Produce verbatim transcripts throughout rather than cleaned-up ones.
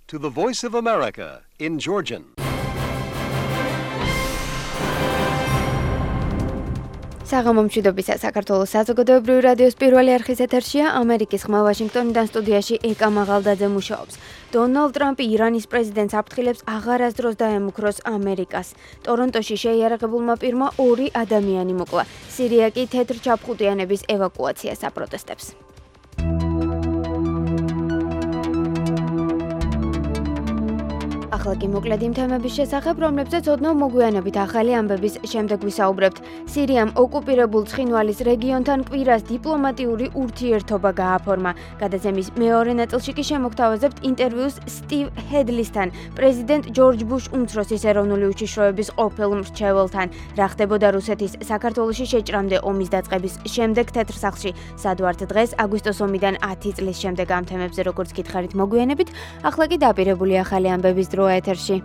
to the Voice of America in Georgian. საღამომშვიდობისა საქართველოს საზოგადოებრივი რადიოს პირველი არხის ეთერშია ამერიკის ხმა ვაშინგტონიდან სტუდიაში ეკა მაღალდაძე მუშაობს. დონალდ ტრამპი ირანის პრეზიდენტს აფრთხილებს აღარასდროს დაემუქროს ამერიკას. ტორონტოში შეიარაღებულმა პირმა ორი ადამიანი მოკლა. სირია კი თეთრ ჩაფხუტიანების ევაკუაციას აპროტესტებს. ახლა კი მოკლედ იმ თემების შესახებ, რომლებზეც ოდნავ მოგვიანებით ახალი ამბების შემდეგ ვისაუბრებთ. სირიამ ოკუპირებულ ცხინვალის რეგიონთან კვირას დიპლომატიური ურთიერთობა გააფორმა. გადაცემის მეორე ნაწილში კი შემოგთავაზებთ ინტერვიუს სტივ ჰედლისთან, პრეზიდენტ ჯორჯ ბუშ უმცროსის ეროვნული უშიშროების ყოფილ მრჩეველთან. რა ხდებოდა რუსეთის საქართველოში შეჭრამდე ომის დაწყების შემდეგ თეთრ სახლში. სად ვართ დღეს, აგვისტოს ომიდან ათი წლის შემდეგ ამ თემებზე როგორც გითხარით მოგვიანებით, ახლა კი დაპირებული ახალი ამბების დრო ეთერში.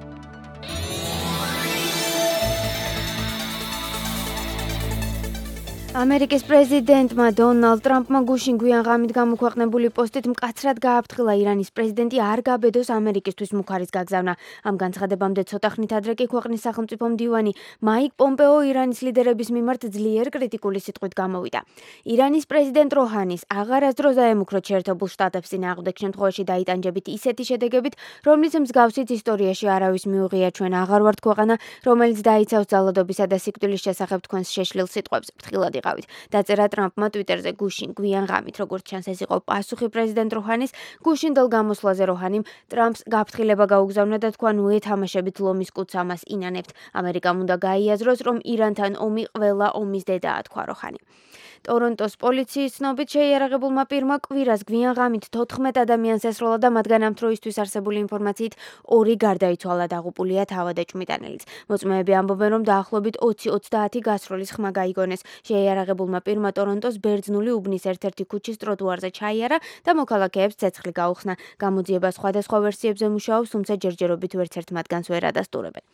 ამერიკის პრეზიდენტმა დონალდ ტრამპმა გუშინ გვიან ღამით გამოქვეყნებული პოსტით მკაცრად გააფრთხილა ირანის პრეზიდენტი არ გაბედოს ამერიკისთვის მუქარის გაგზავნა. ამ განცხადებამდე ცოტა ხნით ადრე კი ქვეყნის სახელმწიფო მდივანი მაიკ პომპეო ირანის ლიდერების მიმართ ძლიერ კრიტიკული სიტყვით გამოვიდა. ირანის პრეზიდენტ როჰანის აღარასდროს დაემუქროთ შეერთებულ შტატებს წინააღმდეგ შემთხვევაში დაიტანჯებით ისეთი შედეგებით, რომლის მსგავსით ისტორიაში არავის მიუღია. ჩვენ აღარ ვართ ქვეყანა, რომელიც დაიცავს ძალადობისა და სიკვდილის შესახებ თქვენს შეშლილ სიტყვებს. ფრთხილად დაწერა ტრამპმა ტვიტერზე გუშინ გვიან ღამით, როგორც ჩანს ეს იყო პასუხი პრეზიდენტ როჰანის გუშინდელ გამოსვლაზე. როჰანიმ ტრამპს გაფრთხილება გაუგზავნა და თქვა ნუ ეთამაშებით ლომის კუდს ამას ინანებთ. ამერიკამ უნდა გაიაზროს, რომ ირანთან ომი ყველა ომის დედაა, თქვა როჰანი. ტორონტოს პოლიციის ცნობით შეიარაღებულმა პირმა კვირას გვიან ღამით თოთხმეტ ადამიანს ესროლა და მათგან ამ დროისთვის არსებული ინფორმაციით ორი გარდაიცვალა, დაღუპულია თავად ეჭვმიტანელიც. მოწმეები ამბობენ, რომ დაახლოებით ოცი ოცდაათი გასროლის ხმა გაიგონეს. შეიარაღებულმა პირმა ტორონტოს ბერძნული უბნის ერთ-ერთი ქუჩის ტროტუარზე ჩაიარა და მოქალაქეებს ცეცხლი გაუხსნა. გამოძიება სხვადასხვა ვერსიებზე მუშაობს, თუმცა ჯერჯერობით ვერც ერთ მათგანს ვერ ადასტურებენ.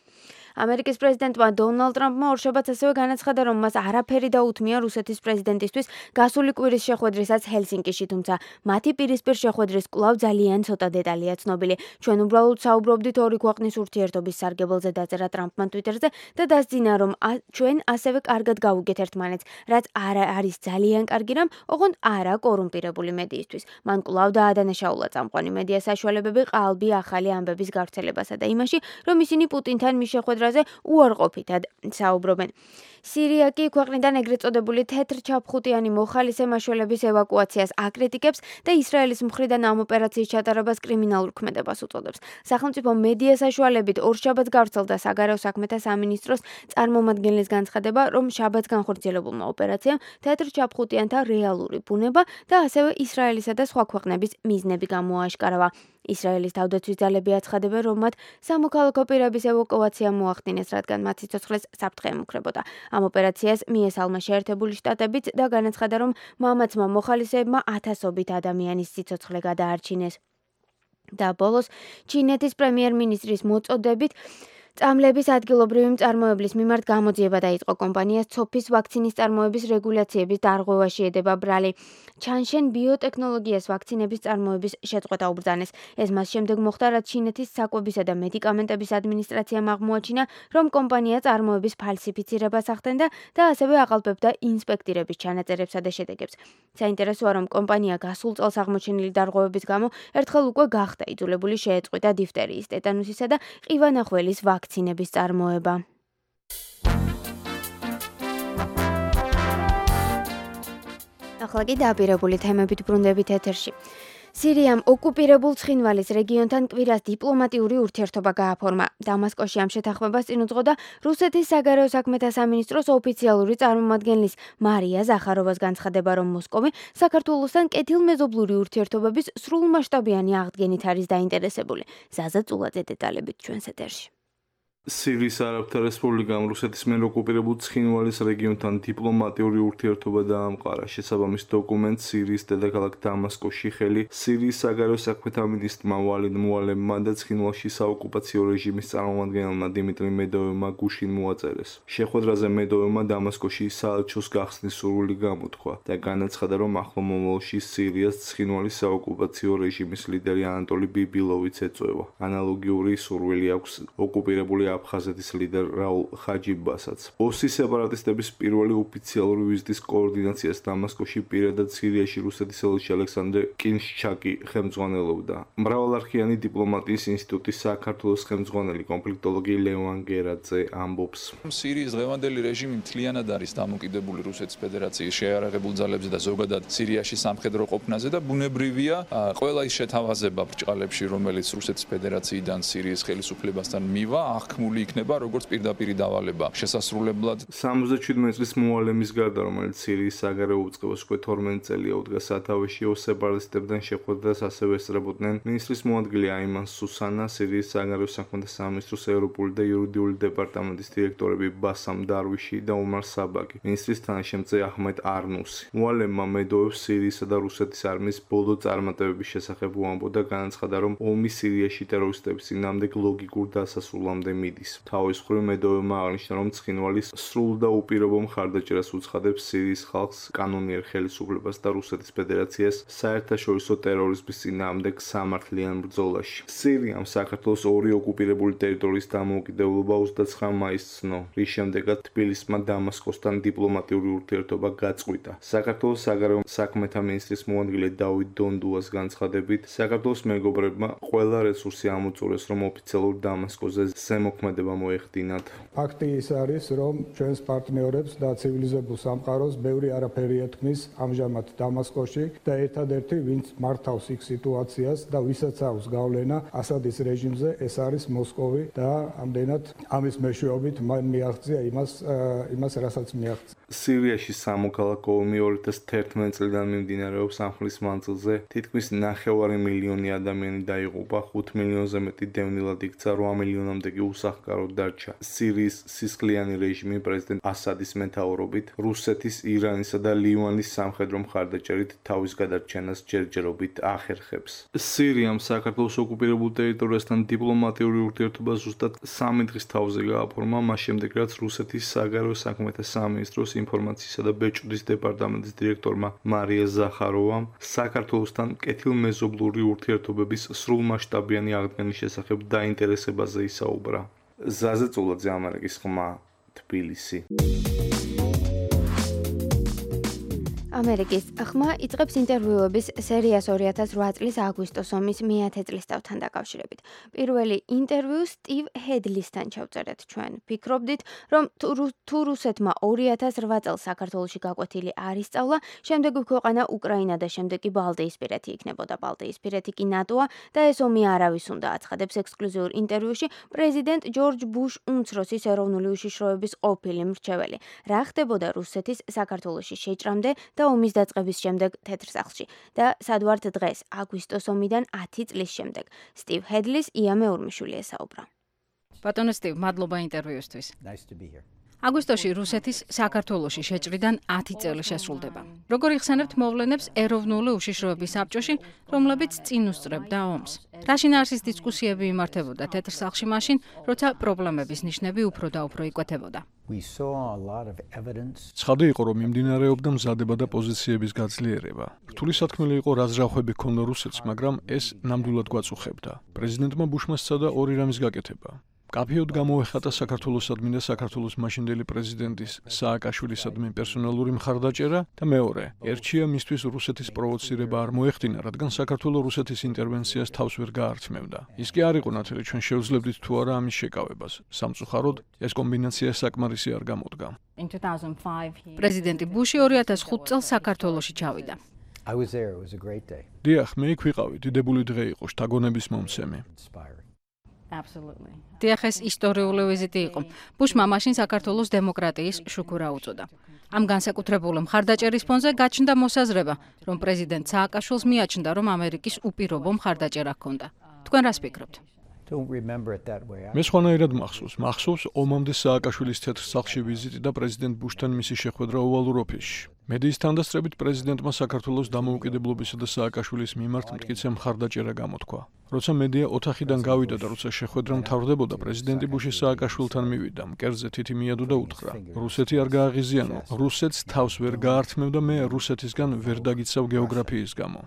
ამერიკის პრეზიდენტმა დონალდ ტრამპმა ორშაბათს ასევე განაცხადა, რომ მას არაფერი დაუთმია რუსეთის პრეზიდენტისთვის გასული კვირის შეხვედრისას ჰელსინკიში, თუმცა მათი პირისპირ შეხვედრის კვლავ ძალიან ცოტა დეტალია ცნობილი. ჩვენ უბრალოდ საუბრობდით ორი ქვეყნის ურთიერთობის სარგებელზე, დაწერა ტრამპმა ტვიტერზე და დასძინა, რომ ჩვენ ასევე კარგად გავუგეთ ერთმანეთს, რაც არ არის ძალიან კარგი რამ, ოღონდ არა კორუმპირებული მედიისთვის. მან კვლავ დაადანაშაულა წამყვანი მედია საშუალებები ყალბი ახალი ამბების გავრცელებასა და იმაში, რომ ისინი პუტინთან მის შეხვედრაზე უარყოფითად საუბრობენ. სირია კი ქვეყნიდან ეგრეთ წოდებული თეთრ ჩაფხუტიანი მოხალისე მაშველების ევაკუაციას აკრიტიკებს და ისრაელის მხრიდან ამ ოპერაციის ჩატარებას კრიმინალურ ქმედებას უწოდებს. სახელმწიფო მედია საშუალებით ორშაბათს გავრცელდა საგარეო საქმეთა სამინისტროს წარმომადგენლის განცხადება, რომ შაბათს განხორციელებულმა ოპერაციამ თეთრ ჩაფხუტიანთა რეალური ბუნება და ასევე ისრაელისა და სხვა ქვეყნების მიზნები გამოააშკარავა. ისრაელის თავდაცვის ძალები აცხადებენ, რომ მათ სამოქალაქო პირების ევაკუაცია მოახდინეს, რადგან მათ სიცოცხლეს საფრთხე ემუქრებოდა. ამ ოპერაციას მიესალმა შეერთებული შტატებიც და განაცხადა, რომ მამაცმა მოხალისეებმა ათასობით ადამიანის სიცოცხლე გადაარჩინეს. და ბოლოს ჩინეთის პრემიერ-მინისტრის მოწოდებით წამლების ადგილობრივი მწარმოებლის მიმართ გამოძიება დაიწყო. კომპანიას ცოფის ვაქცინის წარმოების რეგულაციების დარღვევაში ედება ბრალი. ჩანშენ ბიოტექნოლოგიას ვაქცინების წარმოების შეწყვეტა უბრძანეს. ეს მას შემდეგ მოხდა, რაც ჩინეთის საკვებისა და მედიკამენტების ადმინისტრაციამ აღმოაჩინა, რომ კომპანია წარმოების ფალსიფიცირებას ახდენდა და ასევე აყალბებდა ინსპექტირების ჩანაწერებსა და შედეგებს. საინტერესოა, რომ კომპანია გასულ წელს აღმოჩენილი დარღვევების გამო ერთხელ უკვე გახდა იძულებული შეეწყვიტა დიფტერიის, ტეტანუსისა და ყივანახველის ვაქცინების წარმოება. ახლა კი დაპირებული თემებით ბრუნდებით ეთერში. სირიამ ოკუპირებულ ცხინვალის რეგიონთან კვირას დიპლომატიური ურთიერთობა გააფორმა. დამასკოში ამ შეთანხმებას წინ უძღოდა რუსეთის საგარეო საქმეთა სამინისტროს ოფიციალური წარმომადგენლის მარია ზახაროვას განცხადება, რომ მოსკოვი საქართველოსთან კეთილმეზობლური ურთიერთობების სრულმასშტაბიანი აღდგენით არის დაინტერესებული. ზაზა წულაძე დეტალებით ჩვენს ეთერში. სირიის არაბთა რესპუბლიკამ რუსეთის მიერ ოკუპირებულ ცხინვალის რეგიონთან დიპლომატიური ურთიერთობა დაამყარა. შესაბამის დოკუმენტს სირიის დედაქალაქ დამასკოში ხელი სირიის საგარეო საქმეთა მინისტრმა ვალიდ მუალემმა და ცხინვალში საოკუპაციო რეჟიმის წარმომადგენელმა დიმიტრი მედოვევმა გუშინ მოაწერეს. შეხვედრაზე მედოვევმა დამასკოში საელჩოს გახსნის სურვილი გამოთქვა და განაცხადა, რომ ახლო მომავალში სირიას ცხინვალის საოკუპაციო რეჟიმის ლიდერი ანატოლი ბიბილოვიც ეწევა. ანალოგიური სურვილი აქვს ოკუპირებული აფხაზეთის ლიდერ რაულ ხაჯიბასაც. ოსი სეპარატისტების პირველი ოფიციალური ვიზიტის კოორდინაციას დამასკოში პირადად სირიაში რუსეთის ელჩი ალექსანდრე კინშჩაკი ხელმძღვანელობდა. მრავალარხიანი დიპლომატიის ინსტიტუტის საქართველოს ხელმძღვანელი კონფლიქტოლოგი ლევან გერაძე ამბობს. სირიის დღევანდელი რეჟიმი მთლიანად არის დამოკიდებული რუსეთის ფედერაციის შეიარაღებულ ძალებზე და ზოგადად სირიაში სამხედრო ყოფნაზე და ბუნებრივია ყველა ის შეთავაზება ბრჭყალებში, რომელიც რუსეთის ფედერაციიდან სირიის ხელისუფლებასთან მივა, აღქმული იქნება როგორც პირდაპირი დავალება შესასრულებლად. სამოცდაშვიდმეტ წლის მუალემის გარდა, რომელიც სირიის საგარეო უწყებას უკვე თორმეტ წელია უდგა სათავეში, სეპარატისტებთან შეხვედრას ასევე ესწრებოდნენ მინისტრის მოადგილე აიმან სუსანა, სირიის საგარეო საქმეთა სამინისტროს ევროპული და იურიდიული დეპარტამენტის დირექტორები ბასამ დარვიში და უმარ საბაგი, მინისტრის თანაშემწე აჰმედ არნუსი. მუალემმა მედოვევს სირიისა და რუსეთის არმიის ბოლო წარმატებების შესახებ უამბო და განაცხადა, რომ ომი სირიაში ტერორისტების წინააღმდეგ ლოგიკურ დასასრულამდე მიდის. თავის მხრივ მედოვევმა აღნიშნა, რომ ცხინვალის სრულ და უპირობო მხარდაჭერას უცხადებს სირიის ხალხს, კანონიერ ხელისუფლებას და რუსეთის ფედერაციას საერთაშორისო ტერორიზმის წინააღმდეგ სამართლიან ბრძოლაში. სირიამ საქართველოს ორი ოკუპირებული ტერიტორიის დამოუკიდებლობა ოცდაცხრა მაისს ცნო, რის შემდეგაც თბილისმა დამასკოსთან დიპლომატიური ურთიერთობა გაწყვიტა. საქართველოს საგარეო საქმეთა მინისტრის მოადგილე დავით დონდუას განცხადებით, საქართველოს მეგობრებმა ყველა რესურსი ამოწურეს, რომ ოფიციალურ დამასკოზე ზემოქმედება მოეხდინათ. ფაქტი ის არის, რომ ჩვენს პარტნიორებს და ცივილიზებულ სამყაროს ბევრი არაფერი ეთქმის ამჟამად დამასკოში და ერთადერთი, ვინც მართავს იქ სიტუაციას და ვისაც აქვს გავლენა ასადის რეჟიმზე, ეს არის მოსკოვი და ამდენად ამის მეშვეობით მან მიაღწია იმას, იმას რასაც მიაღწია. სირიაში სამოქალაქო ომი ორი ათას თერთმეტ წლიდან მიმდინარეობს. ამ ხნის მანძილზე თითქმის ნახევარი მილიონი ადამიანი დაიღუპა, ხუთ მილიონზე მეტი დევნილად იქცა, რვა მილიონამდე კი უსახლკაროდ დარჩა. სირიის სისხლიანი რეჟიმი პრეზიდენტ ასადის მეთაურობით რუსეთის, ირანისა და ლივანის სამხედრო მხარდაჭერით თავის გადარჩენას ჯერჯერობით ახერხებს. სირიამ საქართველოს ოკუპირებულ ტერიტორიასთან დიპლომატიური ურთიერთობა ზუსტად სამი დღის თავზე გააფორმა, მას შემდეგ რაც რუსეთის საგარეო საქმეთა სამინისტროს ინფორმაციისა და ბეჭვდის დეპარტამენტის დირექტორმა მარია ზახაროვამ საქართველოსთან კეთილმეზობლური ურთიერთობების სრულმასშტაბიანი აღდგენის შესახებ დაინტერესებაზე ისაუბრა. ზაზე წულაძე, ამერიკის ხმა, თბილისი. ამერიკის ხმა იწყებს ინტერვიუების სერიას ორი ათას რვა წლის აგვისტოს ომის მეათე წლისთავთან დაკავშირებით. პირველი ინტერვიუ სტივ ჰედლისთან ჩავწერეთ ჩვენ. ფიქრობდით, რომ თუ რუსეთმა ორი ათას რვა წელს საქართველოში გაკვეთილი არ ისწავლა, შემდეგ გვიქვეყანა უკრაინა და შემდეგ კი ბალტიისპირეთი იქნებოდა. ბალტიისპირეთი კი ნატოა და ეს ომი არავის უნდა აცხადებს ექსკლუზიურ ინტერვიუში პრეზიდენტ ჯორჯ ბუშ უმცროსის ეროვნული უშიშროების ყოფილი მრჩეველი. რა ხდებოდა რუსეთის საქართველოში შეჭრამდე და ომის დაწყების შემდეგ თეთრ სახლში და სად ვართ დღეს აგვისტოს ომიდან ათი წლის შემდეგ. სტივ ჰედლის ია მეურმიშვილი ესაუბრა. ბატონო სტივ, მადლობა ინტერვიუსთვის. აგვისტოში რუსეთის საქართველოში შეჭრიდან ათი წელი შესრულდება. როგორ იხსენებთ მოვლენებს ეროვნული უშიშროების საბჭოში, რომლებიც წინ უსწრებდა ომს? რა შინაარსის დისკუსიები იმართებოდა თეთრ სახლში მაშინ, როცა პრობლემების ნიშნები უფრო და უფრო იკვეთებოდა? ცხადი იყო, რომ მიმდინარეობდა მზადება და პოზიციების გაძლიერება. რთული სათქმელი იყო, რა ზრახვები ჰქონდა რუსეთს, მაგრამ ეს ნამდვილად გვაწუხებდა. პრეზიდენტმა ბუშმა სცადა ორი რამის გაკეთება. კაფეოდ გამოეხატა საქართველოსადმი და საქართველოს მაშინდელი პრეზიდენტის სააკაშვილისადმი პერსონალური მხარდაჭერა და მეორე, ერჩია მისთვის რუსეთის პროვოცირება არ მოეხდინა, რადგან საქართველოს რუსეთის ინტერვენციას თავს ვერ გაართმევდა. ის კი არ იყო ნათელი, ჩვენ შევძლებდით თუ არა ამის შეკავებას. სამწუხაროდ, ეს კომბინაცია საკმარისი არ გამოდგა. პრეზიდენტი ბუში ორი ათას ხუთ წელს საქართველოში ჩავიდა. დიახ, მე იქ ვიყავი, დიდებული დღე იყო, შთაგონების მომცემი. დიახ, ეს ისტორიული ვიზიტი იყო. ბუშმა მაშინ საქართველოს დემოკრატიის შუქურა უწოდა. ამ განსაკუთრებული მხარდაჭერის ფონზე გაჩნდა მოსაზრება, რომ პრეზიდენტ სააკაშვილს მიაჩნდა, რომ ამერიკის უპირობო მხარდაჭერა ჰქონდა. თქვენ რას ფიქრობთ? მე სხვანაირად მახსოვს, მახსოვს ომამდე სააკაშვილის თეთრ სახლში ვიზიტი და პრეზიდენტ ბუშთან მისი შეხვედრა ოვალურ ოფისში. მედიის თანდასწრებით პრეზიდენტმა საქართველოს დამოუკიდებლობისა და სააკაშვილის მიმართ მტკიცე მხარდაჭერა გამოთქვა. როცა მედია ოთახიდან გავიდა და როცა შეხვედრა მთავრდებოდა, პრეზიდენტი ბუში სააკაშვილთან მივიდა, მკერდზე თითი მიადო და უთხრა: რუსეთი არ გააღიზიანო, რუსეთს თავს ვერ გაართმევ და მე რუსეთისგან ვერ დაგიცავ გეოგრაფიის გამო.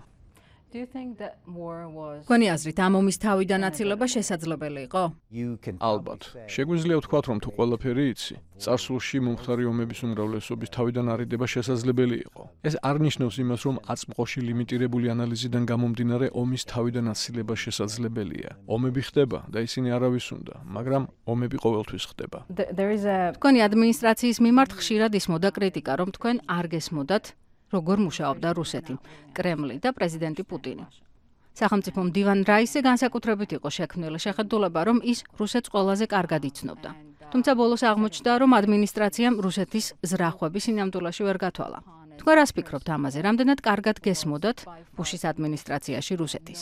გონი აზრით ამ ომის თავიდან აცილება შესაძლებელი იყო? ალბათ. შეგვიძლია ვთქვათ, რომ თუ ყველაფერი იცი, წარსულში მომხდარი ომების უმრავლესობის თავიდან არიდება შესაძლებელი იყო. ეს არ ნიშნავს იმას, რომ აწმყოში ლიმიტირებული ანალიზიდან გამომდინარე ომის თავიდან აცილება შესაძლებელია. ომები ხდება და ისინი არავის უნდა, მაგრამ ომები ყოველთვის ხდება. გონი ადმინისტრაციის მიმართ ხშირად ისმოდა კრიტიკა, რომ თქვენ არ გესმოდათ როგორ მუშაობდა რუსეთი, კრემლი და პრეზიდენტი პუტინი. სახელმწიფო მდივან რაისი განსაკუთრებით იყო შექმნილი შეხედულება, რომ ის რუსეთს ყველაზე კარგად იცნობდა. თუმცა ბოლოს აღმოჩნდა, რომ ადმინისტრაციამ რუსეთის ზრახვები სინამდვილეში ვერ გათვალა. თქვენ რას ფიქრობთ ამაზე? რამდენად კარგად გესმოდათ ბუშის ადმინისტრაციაში რუსეთის?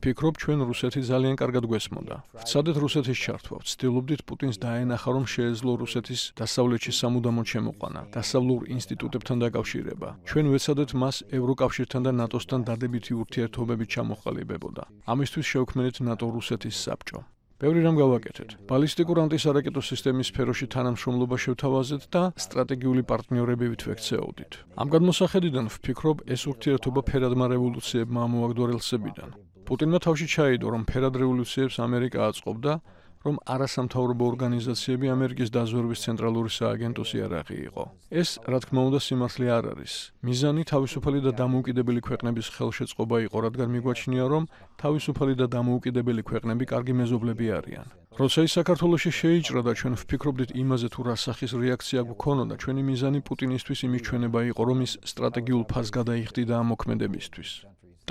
ფიქრობ, ჩვენ რუსეთი ძალიან კარგად გვესმოდა. ვცადეთ რუსეთის ჩართვა, ვცდილობდით პუტინს დაენახა, რომ შეეძლო რუსეთის დასავლეთში სამუდამოდ შემოყვანა, დასავლურ ინსტიტუტებთან დაკავშირება. ჩვენ ვეცადეთ მას ევროკავშირთან და ნატოსთან დადებითი ურთიერთობებით ჩამოყალიბებოდა. ამისთვის შევქმნით ნატო-რუსეთის საბჭო. ბევრი რამ გავაკეთეთ. ბალისტიკურ ანტისარაკეტო სისტემის სფეროში თანამშრომლობა შევთავაზეთ და სტრატეგიული პარტნიორებივით ვექცეოდით. ამ გადმოსახედიდან ვფიქრობ, ეს ურთიერთობა ფერადმა რევოლუციებმა ამოაგდო რელსებიდან. პუტინმა თავში ჩაიდო, რომ ფერად რევოლუციებს ამერიკა აწყობდა, რომ არასამთავრობო ორგანიზაციები ამერიკის დაზვერვის ცენტრალური სააგენტოს იარაღი იყო. ეს, რა თქმა უნდა, სიმართლე არ არის. მიზანი თავისუფალი და დამოუკიდებელი ქვეყნების ხელშეწყობა იყო, რადგან მიგვაჩნია, რომ თავისუფალი და დამოუკიდებელი ქვეყნები კარგი მეზობლები არიან. როცა ის საქართველოში შეიჭრა და ჩვენ ვფიქრობდით იმაზე, თუ რა სახის რეაქცია გვქონოდა, ჩვენი მიზანი პუტინისთვის იმის ჩვენება იყო, რომ ის სტრატეგიულ ფასს გადაიხდიდა ამ მოქმედებისთვის.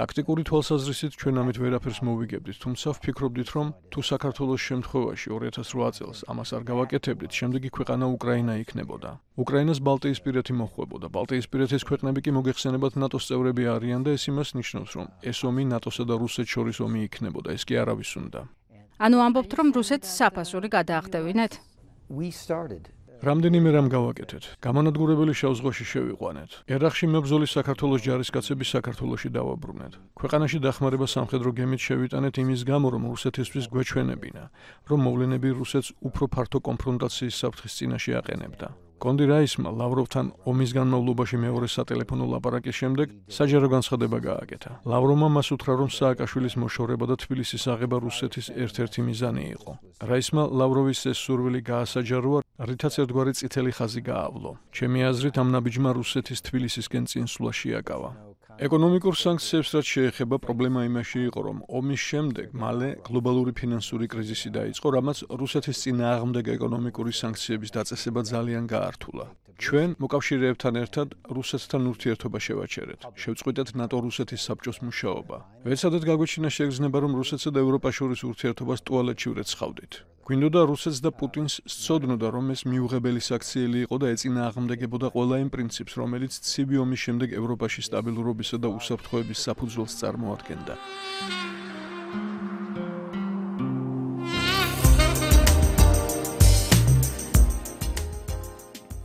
ტაქტიკური თვალსაზრისით ჩვენ ამით ვერაფერს მოვიგებდით, თუმცა ვფიქრობდით, რომ თუ საქართველოს შემთხვევაში ორი ათას რვა წელს ამას არ გავაკეთებდით, შემდეგი ქვეყანა უკრაინა იქნებოდა. უკრაინას ბალტიისპირეთი მოჰყვებოდა. ბალტიისპირეთის ქვეყნები კი მოგეხსენებათ ნატოს წევრები არიან და ეს იმას ნიშნავს, რომ ეს ომი ნატოსა და რუსეთს შორის ომი იქნებოდა. ეს კი არავის უნდა. ანუ ამბობთ, რომ რუსეთს საფასური გადაახდევინეთ? რამდენიმე რამ გავაკეთეთ. გამანადგურებელი შავ ზღვაში შევიყვანეთ. ერახში მებრძოლი საქართველოს ჯარისკაცები საქართველოში დავაბრუნეთ. ქვეყანაში დახმარება სამხედრო გემით შევიტანეთ იმის გამო, რომ რუსეთისთვის გვეჩვენებინა, რომ მოვლენები რუსეთს უფრო ფართო კონფრონტაციის საფრთხის წინაშე აყენებდა. კონდი რაისმა ლავროვთან ომის განმავლობაში მეორე სატელეფონო ლაპარაკის შემდეგ საჯარო განცხადება გააკეთა. ლავროვმა მას უთხრა, რომ სააკაშვილის მოშორება და თბილისის აღება რუსეთის ერთ-ერთი მიზანი იყო. რაისმა ლავროვის ეს სურვილი გაასაჯაროა, რითაც ერთგვარი წითელი ხაზი გაავლო. ჩემი აზრით, ამ ნაბიჯმა რუსეთის თბილისისკენ წინსვლა შეაკავა. ეკონომიკურ სანქციებს რაც შეეხება, პრობლემა იმაში იყო, რომ ომის შემდეგ მალე გლობალური ფინანსური კრიზისი დაიწყო, რამაც რუსეთის წინააღმდეგ ეკონომიკური სანქციების დაწესება ძალიან გაართულა. ჩვენ მოკავშირეებთან ერთად რუსეთთან ურთიერთობა შევაჩერეთ. შევწყვიტეთ ნატო-რუსეთის საბჭოს მუშაობა. ვეცადეთ გაგვეჩინა შეგრძნება, რომ რუსეთსა და ევროპას შორის ურთიერთობას ტუალეტში ვრეცხავდით. გვინდოდა რუსეთს და პუტინს სცოდნოდა, რომ ეს მიუღებელი საქციელი იყო და ეწინააღმდეგებოდა ყველა იმ პრინციპს, რომელიც ცივი ომის შემდეგ ევროპაში სტაბილურობისა და უსაფრთხოების საფუძველს წარმოადგენდა.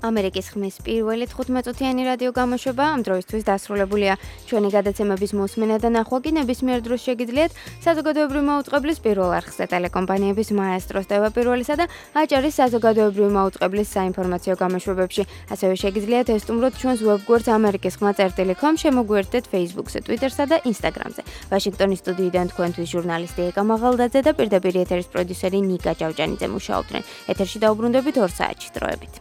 ამერიკის ხმის პირველი თხუთმეტწუთიანი რადიო გამოშვება ამ დროისთვის დასრულებულია. ჩვენი გადაცემების მოსმენა და ნახვა კი ნებისმიერ დროს შეგიძლიათ საზოგადოებრივი მაუწყებლის პირველ არხზე ტელეკომპანიების მაესტროს ტევაპირველისა და აჭარის საზოგადოებრივი მაუწყებლის საინფორმაციო გამოშვებებში. ასევე შეგიძლიათ ესტუმროთ ჩვენს ვებგვერდს ამერიკის ხმა წერტილი კომ, შემოგვიერთდეთ Facebook-ზე, Twitter-სა და Instagram-ზე. ვაშინგტონის სტუდიიდან თქვენთვის ჟურნალისტი ეკა მაღალდაძე და პირდაპირ ეთერის პროდიუსერი ნიკა ჭავჭანიძე მუშაობდნენ. ეთერში დაუბრუნდებით ორ საათში დროებით.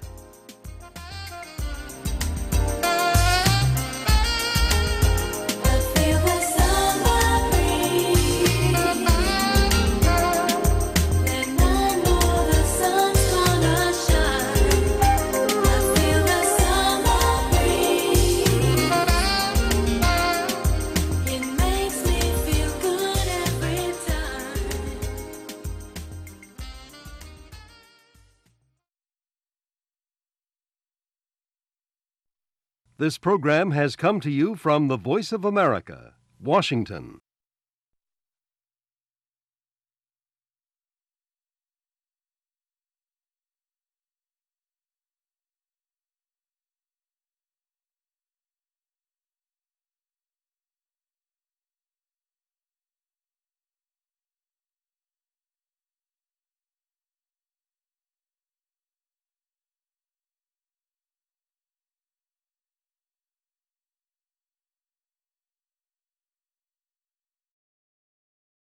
This program has come to you from the Voice of America, Washington.